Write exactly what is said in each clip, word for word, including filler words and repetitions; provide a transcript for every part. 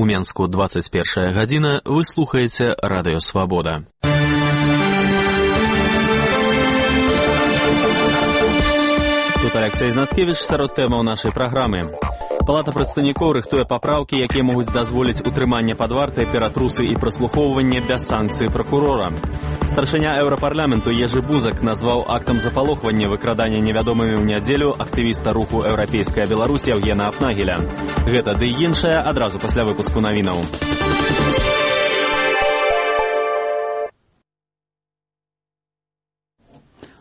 У Менску двадцать першая гадзіна, вы слухаеце Радыё Свабода. Тут Алексей Знаткевич сярод тэмаў нашай праграмы. Палата прадстаўнікоў рыхтуе папраўкі, якія могуць дазволіць утрыманне пад вартай ператрусы і праслухоўванне без санкцыі пракурора. Старшыня Еўрапарламенту Ежы Бузак назваў актам запалохвання выкрадання невядомымі ў нядзелю актывіста руху «Еўрапейская Беларусь» Евгена Апнагеля. Гэта ды і іншае адразу пасля выпуску навінаў.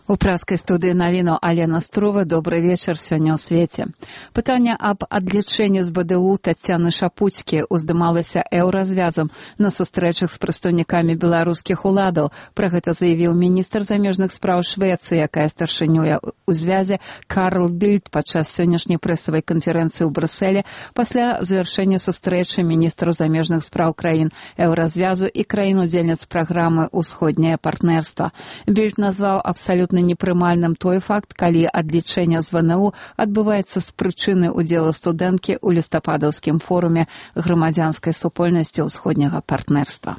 У праскай студыі навіну Алена Струва. Добры вечар сёння ў свеце. Пытанне аб адлічэнні з БДУ Таццяны Шапуцькі уздымалася еўразвязам на сустрэчах з прадстаўнікамі беларускіх уладаў. Пра гэта заявіў міністр замежных спраў Швецыі, якая старшынюе ў звязе Карл Більд падчас сённяшняй прэсавай канферэнцыі ў Брюсселі пасля завяршэння сустрэчы міністраў замежных спраў краін еўразвязу і краін-удзельніц праграмы «Усходняе партнерства». Більд назваў абсалютна непрымальным той факт, калі адлічэнне з ВНУ адбываецца з прычыны ўдзелу студэнткі ў лістападаўскім форуме грамадзянскай супольнасці ўсходняга партнерства.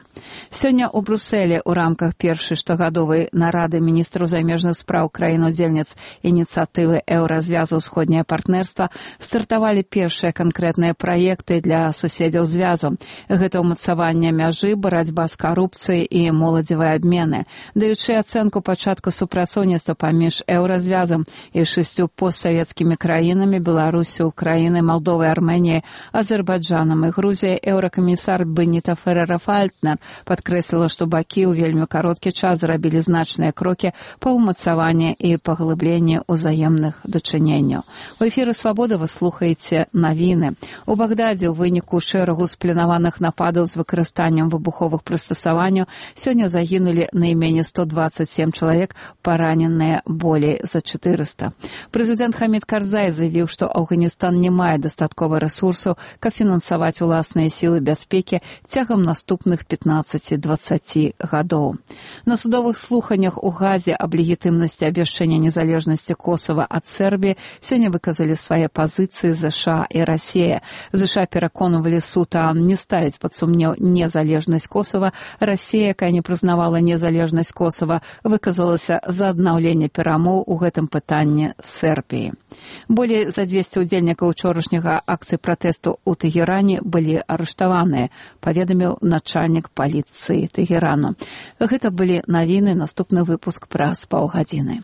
Сёння ў Брюсселі ў рамках першай штогадовай нарады міністраў замежных спраў краін-удзельніц ініцыятывы еўразвязу «Усходняе партнерства» стартавалі першыя канкрэтныя праекты для суседзяў звязу. Гэта ўмацаванне мяжы, барацьба з карупцыяй і моладзевыя абмены. Даючы ацэнку пачатку супрацоўніцтва паміж еўразвязам і шасцю постсавецкімі краінамі Беларусю, Украінай, Малдовай, Арменіяй, Азербайджанам і Грузіяй, еўракамісар Беніта Ферера-Фальтнер падкрэсліла, што бакі ў вельмі кароткі час зрабілі значныя крокі па ўмацаванні і паглыбленні ўзаемных дачыненняў. У эфіры «Свабода» вы слухаеце навіны. У Багдадзе ў выніку шэрагу спланаваных нападаў з выкарыстаннем выбуховых прыстасаванняў сёння загінулі найменей сто дваццаць сем чалавек, параненыя болей за чатырыста. Прэзідэнт Хамід Карзай заявіў, што Афганістан не мае дастаткова рэсурсаў, каб фінансаваць уласныя сілы бяспекі цягам наступных пятнаццаці-дваццаці гадоў. На судовых слуханнях у Газе аб легітымнасці абвяшчэння незалежнасці Косава ад Сербіі сёння выказалі свае пазіцыі ЗША і Расія. ЗША пераконвалі суд не ставіць пад сумнеў незалежнасць Косава. Расія, якая не прызнавала незалежнасць Косава, выказалася за аднаўленне перамоў у гэтым пытанні Сербіі. Болей за дзвесце ўдзельнікаў учорашняга акцыі пратэсту ў Тэгеране былі арыштаваныя, паведаміў начальнік паліцыі Тэгерану. Гэта былі навіны, наступны выпуск праз паўгадзіны.